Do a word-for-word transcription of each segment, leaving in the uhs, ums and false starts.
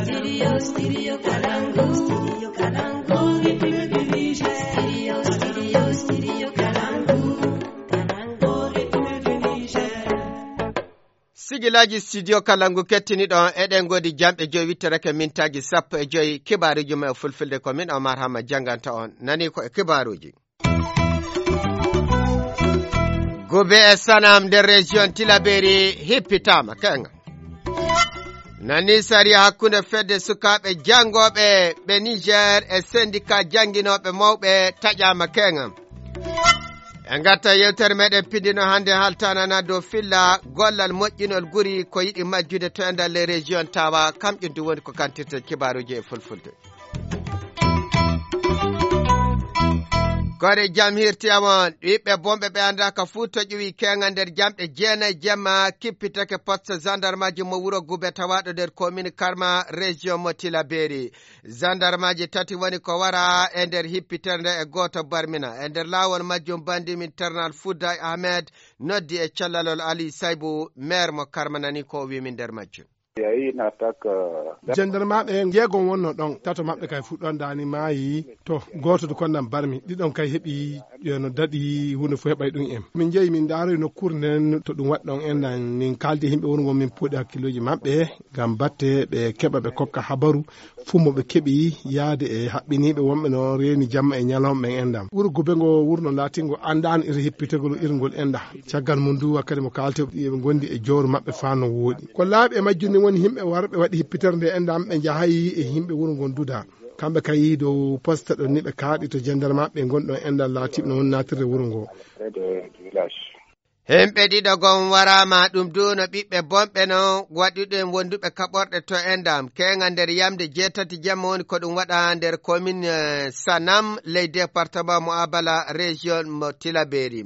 Studio, studio Kalangu. Studio Kalangu. Studio, studio, studio Kalangu. Kalangu, Niger. Sigilaaji studio Kalangu kettiniɗon, eɗen ngoodi jamɗe joyi witterake mintaaji sappo e joyi. Kibaaruuji men e fulfulde ko min Omar Hamma jannganta on. Nani ko e kibaaruuji. Gube e Sanam nder région Tilaberi hippitaama keeŋa. Nani sariya hakkunde fedde sukaaɓe janngooɓe ɓe Niger e syndicat jannginooɓe mawɓe taƴaama keeŋa. En ngarta yewtere meɗen pindino hannde haltanana dow filla gollal moƴƴinol guri ko yiɗi majjude to e nder les région tawa kam ƴundu woni ko kantirte kibaaruuji e fulfulde. Kore jam hirti amon, ɓiɓɓe bonɓe ɓe anndaaka fuu to ƴuwi keeŋa nder jamɗe jeenayi jemma kippitake poste gendarmeji mo wuro Gube tawaaɗo nder commune Karma, région mo Tilaberi. Gendarmeji tati woni ko wara e nder hippitere nde e gooto barmina. E nder laawol majjum bandi min Ternal Fouday Ahmed noddi e callalol Ali Saybu, maire mo Karma nani ko o wiimi nder majjum. Jandarmaaɓe jeegom wonno ɗon, tato maɓɓe kay fuɗɗon daani maayi. To gooto du konnan barmi, ɗiɗon kay heɓi, eh, no daɗi, huunde fof heɓay ɗum en. Min njehi min ndaaroyi nokkuure nden to ɗum waɗi ɗon enɗan, min kaaldi e yimɓe wongo min puɗi hakkiloji maɓɓe ngam batte ɓe keɓa ɓe kokka habaru fuu mo ɓe keɓi yaade e haɓɓiniiɓe wonɓe no reeni jamma e ñalawma ɓen enɗan. Wuro Gube ngo wurno laatingo anndaano iri hippitegol irngol enɗan. Caggal mum du wakkati mo kaalte ɓe ngondi e jowro maɓɓe faa no wooɗi. Ko laaɓi e majjum ni woni yimɓe warɓe waɗi hippitere nde enɗan ɓe njahayi e yimɓe wuro ngon duda. Kamɓe kay dow poste ɗon ni ɓe kaaɗi to jandarmaaɓe ɓe ngonɗon enɗan laatiiɓe no woni naatirde wuro ngo. Hemɓe ɗiɗo gon waraama ɗum du no ɓiɓɓe bonɓe non waɗuɗen wonduɓe kaɓorɗe to enɗan. Keeŋa nder yamde jeetati jemma woni ko ɗum waɗa nder commune, eh, Sanam, ley département mo Abala, région mo Tilaberi.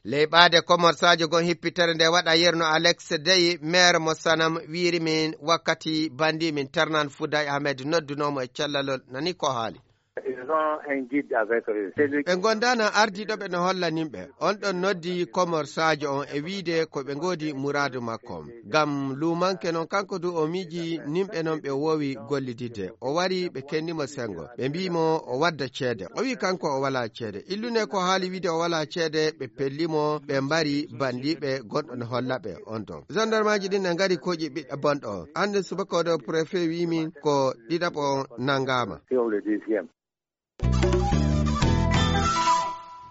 Ley ɓaade komorsaajo gon hippitere nde waɗa yerno Alex Dey, maire mo Sanam, wiiri min wakkati bandi min Ternan Fouday Ahmed noddunoomo e callalol nani ko haali. Ils ont un guide avec eux. C'est lui. Ɓe gondaana ardiiɗo ɓe no holla nimɓe. On ɗon noddi komorsaajo on e wiide ko ɓe ngoodi muraadu makko. Ngam luumanke non kanko du o miiji nimɓe non ɓe woowi gollididde. O wari ɓe kenni mo sengo. Ɓe mbii mo o wadda ceede. O wii kanko o walaa ceede. Illune ko haali wiide o walaa ceede, ɓe pelli mo, ɓe mbari bandiiɓe gonɗo no holla ɓe on ɗon. Gendarmeji ɗin ne ngari kooƴi ɓiɗɗo bonɗo on. Hande subaka o ɗo préfet wii min ko ɗiɗaɓo on nangaama.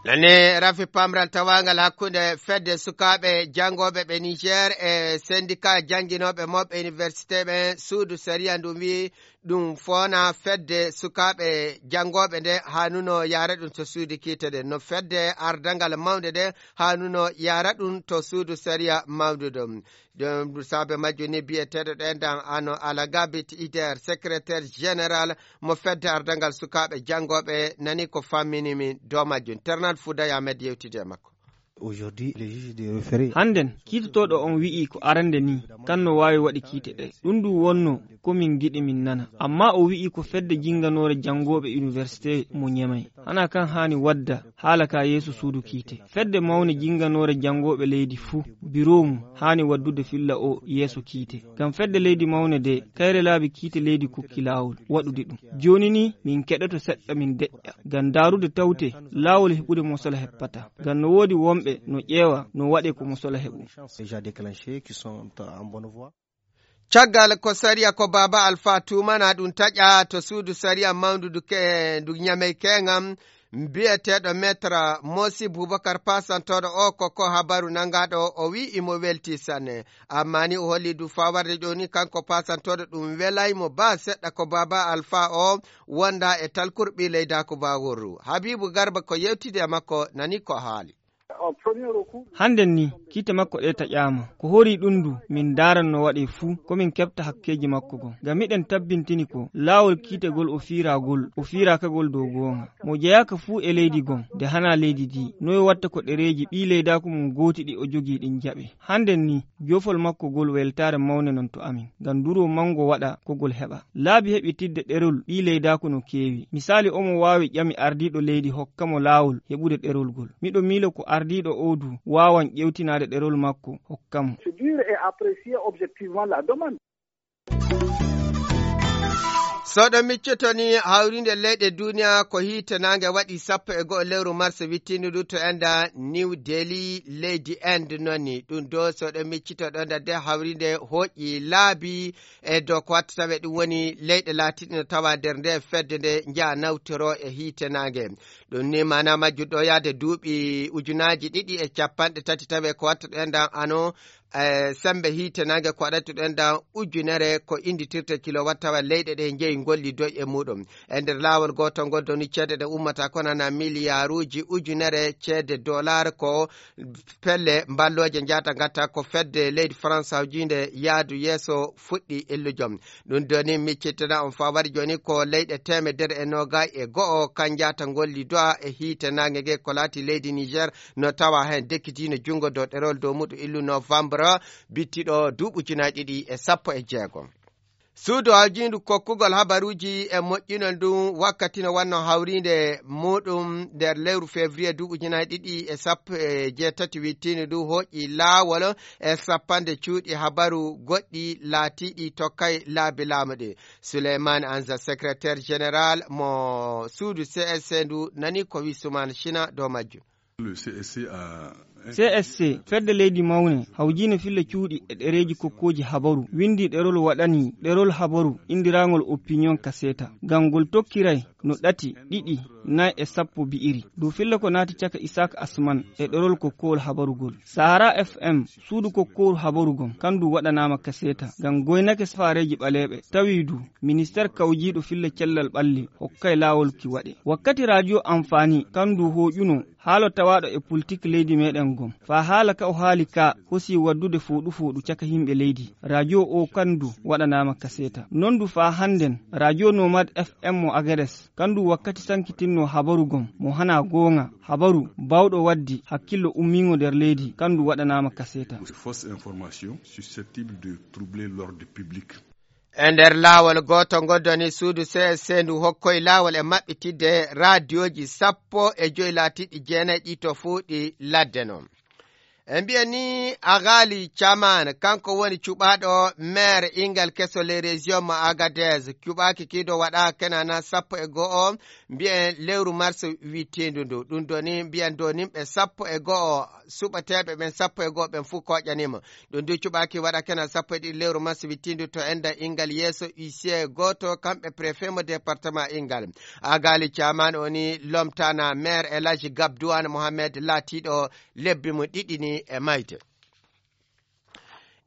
Nane rafi pamral tawangal hakkunde fedde sukaaɓe janngooɓe ɓe Niger e syndicat jannginooɓe mawɓe université ɓen, suudu sariya ndun wi'i ɗum foona fedde sukaaɓe janngooɓe nde haanuno yaara ɗum to suudu kiite nde. No fedde ardangal mawnde nde haanuno yaara ɗum to suudu sariya mawndu ɗum. Ɗum saabe majjum ni biyeteeɗo ɗen dan ano Alagabit Ider, secrétaire général mo fedde ardangal sukaaɓe janngooɓe, nani ko fammini min dow majjum. Ternal Fouday Ahmed yewtidi e makko. Aujourd'hui, le juge de référé. Hannden, kiitotooɗo on wi'i ko arande ni, kan no waawi waɗi kiite ɗe. Ɗum ɗum wonno ko min ngiɗi min nana. Amma o wi'i ko fedde jinnganoore janngooɓe université mo Ñamay. Hana kan haani wadda haala ka yeeso suudu kiite. Fedde mawne jinnganoore janngooɓe leydi fuu, biro mum haani waddude filla o yeeso kiite. Ngam fedde leydi mawne de, kayre laabi kiite leydi kokki laawol waɗude ɗum. Jooni ni, min keɗoto seɗɗa min deƴƴa. Ngam daarude tawte, laawol heɓude mo sola heɓata. Ngam no woodi wonɓe no ƴeewa no waɗe ko mo sola heɓu. Déjà déclenché, qui sont en bonne voie. Caggal ko sariya ko Baaba Alfa tuumana ɗum taƴa to suudu sariya mawndu ndu ke-, ndu Ñamey keeŋam, mbiyeteeɗo Maître Mosi Boubacar Pasantooɗo o ko ko habaru nangaaɗo o wi'i imo welti sanne. Amma ni o holli du faa warde jooni kanko Pasantooɗo ɗum welay mo baa seɗɗa ko Baaba Alfa o wonda e talkur ɓii leydaaku Baaworru. Habiibu Garba ko yewtidi e makko nani ko haali. Hannden ni, kiite makko ɗe taƴaama. Ko horii ɗum du, min ndaaran no waɗee fuu, ko min keɓta hakkeeji makko gon. Ngam miɗen tabbintini ko, laawol kiitegol o fiiraagol, o fiiraakagol dow goonga. Mo jeyaaka fuu e leydi gon, nde hanaa leydi ndi, noy watta ko ɗereeji ɓii leydaaku mum gooti ɗi o jogii ɗin jaɓee? Hannden ni, joofol makko gol weltaare mawnde non to amin, ngam nduro manngo waɗa ko gol heɓa. Laabi heɓitidde ɗerol ɓii leydaaku no keewi. Misaali, omo waawi ƴami ardiiɗo leydi hokka mo laawol heɓude ɗerol gol. Miɗo miilo ko ardiiɗo oo du waawan ƴeewtinaade ɗerol makko hokka mo. C'est dur et apprécier objectivement la demande. So ɗo miccito ni, hawrinde leyɗe duniya ko hiite naange waɗi sappo e go'o lewru mars wittindu ndu to enda New Delhi, leydi Inde noni. Ɗum ɗo so ɗo miccito ɗo nda de hawrinde hooƴi laabi e dow ko watta tawe ɗum woni leyɗe laatiɗe no tawa nder nde fedde nde njaha nawtoro e hiite naange. Ɗum ni maana majjum ɗo yaade duuɓi ujunaaji ɗiɗi e capanɗe tati tawe ko watta ɗo enda ano e sembe hiite naange ko waɗata ɗo enda ujunere ko innditirte kilowatt tawa leyɗe ɗe njeyi ngolli doy e muɗum. E nder laawol gootol ngol doni ceede ɗe ummata ko nana miliyaruuji ujunere ceede dollar ko pelle mballooje njaata ngatta ko fedde leydi France hawjiinde yaadu yeeso fuɗɗi illujo. Ɗum doni miccittana on faa waɗi jooni ko leyɗe teemedere e noogay e go'o kan njaata ngolli do'a e hiite naange nge ko laati leydi Niger no tawa heen dekkitiino junngo dow ɗerol dow muɗum illu novembre bittiɗo duuɓi ujunaaji ɗiɗi e sappo e jeego. Suudu hawjiindu kokkugol habaruuji e moƴƴinol ndu wakkati no wanno hawriinde muɗum nder lewru février duuɓi ujunaaji ɗiɗi e sappo e jeetati wittiindu ndu hooƴi laawol e sappanɗe cuuɗi habaru goɗɗi laatiiɗi tokkay laabi laamu ɗi. Souleymane Anza, secrétaire général mo suudu C S C ndu, nani ko wi Soumane China dow majjum. Le C S C a C S C, fedde leydi mawne, hawjiino filla cuuɗi e ɗereeji kokkooji habaru, winndi ɗerol waɗani ɗerol habaru, inndirangol opinion kaseta. Ngam ngol tokkiray no ɗati, ɗiɗi, nayi e sappo bi'iri. Dow filla ko naati caka Isaac Asman e ɗerol kokkowol habarugol. Sahara F M, suudu kokkowol habaru gom, kandu waɗanaama kaseta. Ngam goynake safaareeji ɓaleeɓe, tawi du, ministeer kawjiiɗo filla cellal ɓalli, hokkay laawol ki waɗe. Wakkati radio Amfani, kandu hooƴuno, haalo tawaaɗo e politik leydi meɗen gom. Faa haala ka o haali ka, hosi waddude fooɗu fooɗu caka yimɓe leydi. Radio o kandu waɗanaama kaseta. Non du faa hannden, radio Nomad F M mo Agades, kandu wakkati sankitinno habaru gom, mo hana goonga, habaru, bawɗo waddi, hakkillo ummiingo nder leydi, kandu waɗanaama kaseta. Fausse information susceptible de troubler l'ordre public. E nder laawol gooto ngol doni suudu C S C ndu hokkoy laawol e maɓɓitidde raadiyooji sappo e joy laatiiɗi jeenayi ɗi to fuu ɗi ladde non. E mbiya ni Agali Caman, kanko woni cuɓaaɗo maire ingal keso les régions mo Agadez, cuɓaaki kiido waɗa kenana sappo e go'o, mbiyen lewru mars wittiindu ndu. Ɗum doni mbiyen do nimɓe sappo e go'o, suɓateeɓe ɓen sappo e go'o ɓen fuu koƴanima. Ɗum du cuɓaaki waɗa kenal sappo e ɗiɗi lewru mars wittiindu to enda ingal yeeso huissier gooto, kamɓe préfet mo département ingal. Agali Caman o ni lomtana maire El Hadji Gabdouane Mohamed laatiiɗo lebbi mo ɗiɗi ni e mayde.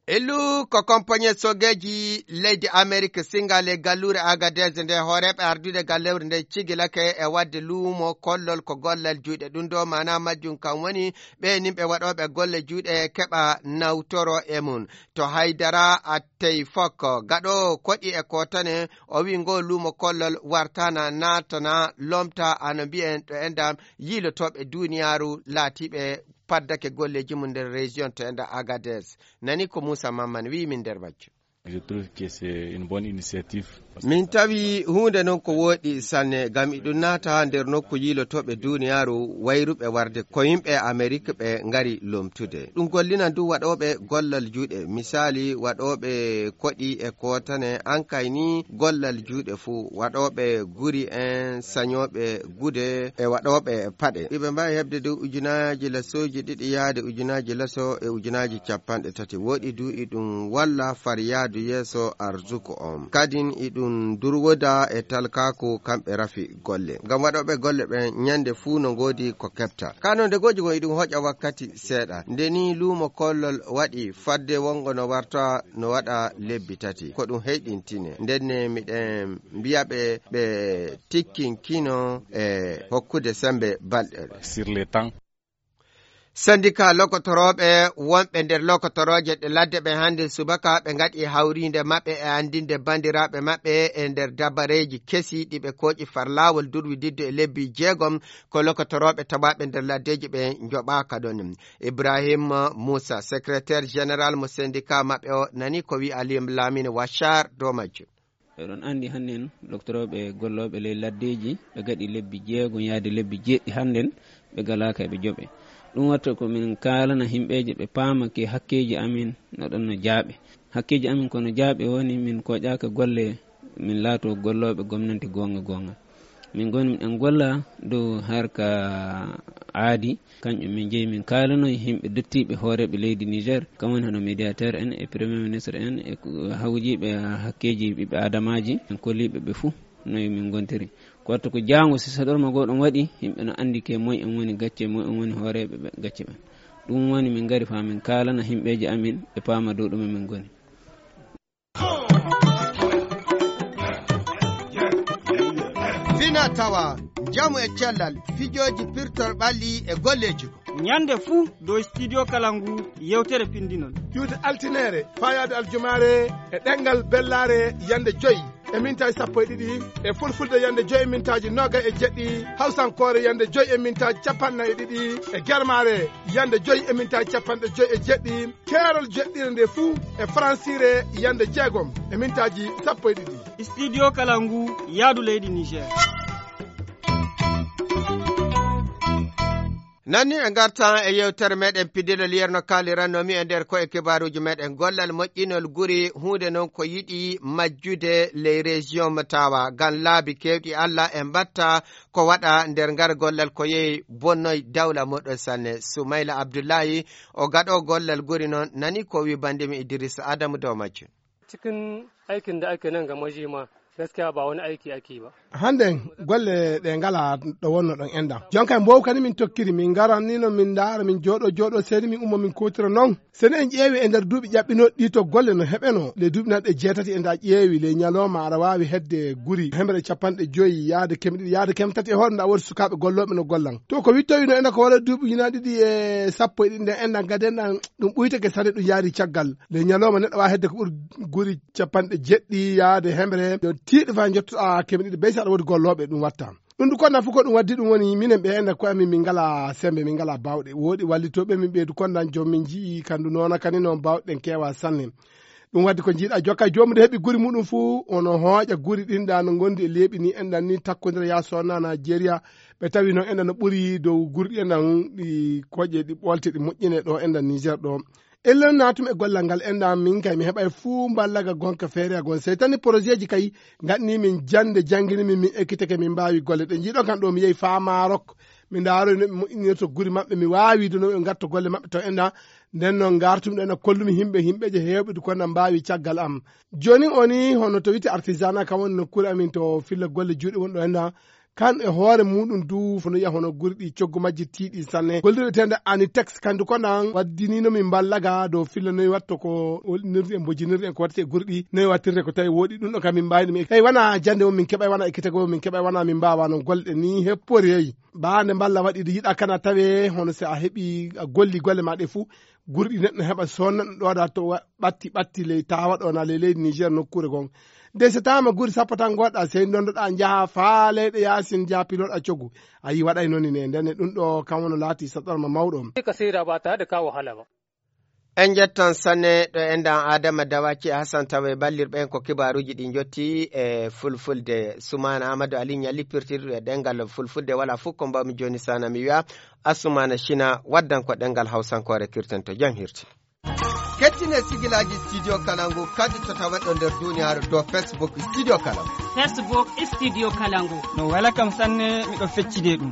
Illu ko compagnie sogeeji leydi Amerique singal e galluure Agadez nde hooreeɓe ardude gallewre nde cigilake e waɗde luumo kollol ko gollal juuɗe. Ɗum ɗo maana majjum kam woni ɓe nimɓe waɗooɓe golle juuɗe keɓa nawtoro e mum. To haydara attey fok gaɗo koɗi e kotane o wi ngo luumo kollol wartana naatana lomta ano mbiyen ɗo endam yiilotooɓe duniyaaru laatiiɓe paddake golleeji mum nder région to enda Agadez. Nani ko Moussa Mamman wi min nder majjum. Je trouve que c'est une bonne initiative. Min tawi huunde noon ko wooɗi sanne, ngam iɗum naata nder nokku yiilotooɓe duniyaaru wayruɓe warde ko yimɓe Amerik ɓe ngari lomtude. Ɗum gollinan du waɗooɓe gollal juuɗe, misali waɗooɓe koɗi e kootane, ankay ni gollal juuɗe fuu, waɗooɓe guri en, sañooɓe gude e waɗooɓe paɗe. Iɓe mbaawi heɓde dow ujunaaji lasooji ɗiɗi yaade ujunaaji laso e ujunaaji capanɗe tati. Wooɗi du iɗum walla far yaadu yeeso arzuku on. Kadin iɗum durwoda e talkaaku kamɓe rafi golle. Ngam waɗooɓe golle ɓen ñande fuu no ngoodi ko keɓta. Kano nde goji gon iɗum hoƴa wakkati seeɗa. Nde ni luumo kollol waɗi fadde wongo no warta no waɗa lebbi tati. Ko ɗum heyɗintine. Ndenne miɗen mbiya ɓe, ɓe tikkinkino e hokkude sembe balɗe. Sur le temps. Sandika lokotorooɓe wonɓe nder lokotorooje ɗe ladde ɓe hannde subaka ɓe ngaɗi hawriinde maɓɓe e anndinde banndiraaɓe maɓɓe e nder dabareeji kesi ɗi ɓe kooƴi far laawol durwididde e lebbi jeegom ko lokotorooɓe tawaaɓe nder laddeeji ɓe njoɓaaka ɗon. Ibrahim Moussa, secrétaire général mo syndicat maɓɓe o, nani ko wi Aliou Lamine Wachar dow majjum. Eɗon anndi hannden loktorooɓe gollooɓe ley laddeeji, ɓe gaɗi lebbi jeego yaade lebbi jeeɗiɗi hannden, ɓe galaaka eɓe joɓe. Ɗum watta ko min kaalana himɓeeje ɓe paama ke hakkeeji amin no ɗon no jaaɓe. Hakkeeji amin ko no jaaɓe woni min koƴaaka golle Min laato gollooɓe gomnanti goonga goonga. Min ngoni miɗen golla dow harka aadi, kanƴum min njeyi min kaalanoyi yimɓe dottiiɓe hooreeɓe leydi Niger, kam woni hono médiateur en e premier ministre en e ko hawjiiɓe hakkeeji ɓiɓɓe aadamaaji, en kolliiɓe ɓe fuu no min ngontiri. Ko watta ko jaango si saɗorma goo ɗum waɗi, yimɓe no anndi ke moy en woni gacce, moy en woni hooreeɓe ɓe gacce ɓen. Ɗum woni min ngari faa min kaalana yimɓeeji amin ɓe paama dow ɗume min ngoni. Fina tawa, njamu e cellal, fijooji pirtor ɓalli e golleeji ko. Ñande fuu dow Studio Kalangu yewtere pinndinol. Ƴuwde altineere, faayaade aljumaare e ɗemngal bellaare yande joy e mintaaji sappo e ɗiɗi, e fulfulde yande joy e mintaaji noogay e jeɗɗi, hawsankoore yande joy e mintaaji capanɗe nayi e ɗiɗi, e germaare yande joy e mintaaji capanɗe joy e jeɗɗi, keerol jeɗɗire nde fuu e faransiire yande jeegom e mintaaji sappo e ɗiɗi. Studio Kalangu, yaadu leydi Niger. Nanni en ngartan e yewtere meɗen piddiɗo liyerno kaalirannomi e nder ko e kibaruuji meɗen gollal moƴƴinol guri huunde noon ko yiɗi majjude les régions mo tawa ngam laabi keewɗi Allah e mbatta ko waɗa nder ngar gollal ko yehi bonnoy dawla moɗon sanne. Soumaila Abdullahi o gaɗo gollal guri noon nani ko wi bandimi Idrissa Adamu dow majjum. Cikin aikin da ake nan ga majima, gaskiya ba wani aiki ake ba. Hannden golle ɗe ngala ɗo wonno ɗon enɗam. Jonka en mbowkani min tokkiri, min ngaran ni no min ndaara, min jooɗo, jooɗo, seni min ummo, min kuutira noon. Seni en ƴeewi e nder duuɓi ƴaɓɓinooɗi ɗi to golle no heɓeno, le duuɓi nan ɗe jeetati e nda ƴeewi, le ñalooma aɗa waawi hedde guri hemre capanɗe joyi yaade keme ɗiɗi, yaade keme tati e hoore nda woodi sukaaɓe gollooɓe no gollan. To ko wittowino ena ko wala duuɓi ujunaaji ɗiɗi e sappo e ɗiɗi nden enɗam gaden ɗam ɗum ɓuytake sane ɗum yaari caggal. Le ñalooma neɗɗo waawi hedde ko ɓuri guri capanɗe jeɗɗi yaade hemre. Yo tiiɗo faa njottoɗaa keme ɗiɗi bey so aɗa woodi gollooɓe ɗum watta. Ɗum ɗum konnan fof ko ɗum waddi ɗum woni minen ɓe enen koye amin min ngala sembe, min ngala bawɗe. Woodi wallitooɓe min ɓeydu konnan joom min njii kandu noona kani noon bawɗe ɗen keewa sanne. Ɗum waddi ko njiiɗa jokka joomum de heɓi guri muɗum fof ono hooƴa guri ɗin ɗa no ngondi e leeɓi ni enɗan ni takkondira ya sonna Najeriya. Ɓe tawi noon enɗan no ɓuri dow guri ɗi enɗan ɗi koƴe ɗi ɓolte ɗi moƴƴine ɗo enɗan Niger ɗo. Ellen naatum e gollal ngal enɗan min kay mi heɓay fuu mballaga gonka feere a gon sey tani projet ji kay gaɗni min jande jangini min min ekkitake min mbaawi golle ɗe njiiɗo kan ɗo mi yehi faa Maroc. Mi ndaaro no ɓe moƴƴinirta guri maɓɓe mi waawi de no ɓe ngatto golle maɓɓe to enɗan. Nden noon ngartum ɗo ena kollumi himɓe himɓeje heewɓe du kono mbaawi caggal am. Jooni o ni hono to wite artisanat kam woni nokkuure amin to filla golle juuɗe woni ɗo enɗan. Kan e hoore muɗum du fono yiya hono guri ɗi coggu majji tiiɗi sanne gollirɓe tende anitex kandu ko nan waddinino min mballa ga dow filla noyi watto ko wolɗinirde en bojinirde en ko wattete guri ɗi noyi wattirde ko tawi woɗi ɗum ɗo kam min mbawi ɗum tawi wona jande o min keɓay wona ekkitagol o min keɓay wona min mbawa noon golle ɗe ni heppori yeyi. Ba nde mballa waɗi de yiɗa kana tawe hono si a heɓi a golli golle ma ɗe fuu guri ɗi neɗɗo heɓa sonna ɗum ɗoɗa to ɓatti ɓatti ley tawa ɗo na ley leydi Niger nokkuure gon. Nde so tawama guri sappo tan goɗɗa sey dondoɗa jaaha faa leyɗe yaasin jaaha piloɗa coggu. A yi waɗay noon ne ndenne ɗum ɗo kam wono laati saɗorma mawɗo. Ka seyda ba tare da ka wahala ba. En njettan sanne ɗo enɗan Adama Dawaki e Hassan Tawe ballirɓe en ko kibaaruuji ɗi njotti e fulfulde. Sumana Amadou Ali ñalli pirtirɗo e ɗengal fulfulde wala fof ko mbawmi jooni sana mi wiya Asumana China waddan ko ɗengal hawsankoore kirten to jam hirti. Kettine sigilaaji Studio Kalangu kadi to taweɗo nder duniyaaru dow Facebook Studio Kalangu. Facebook Studio Kalangu. No wela kam sanne miɗo feccide ɗum.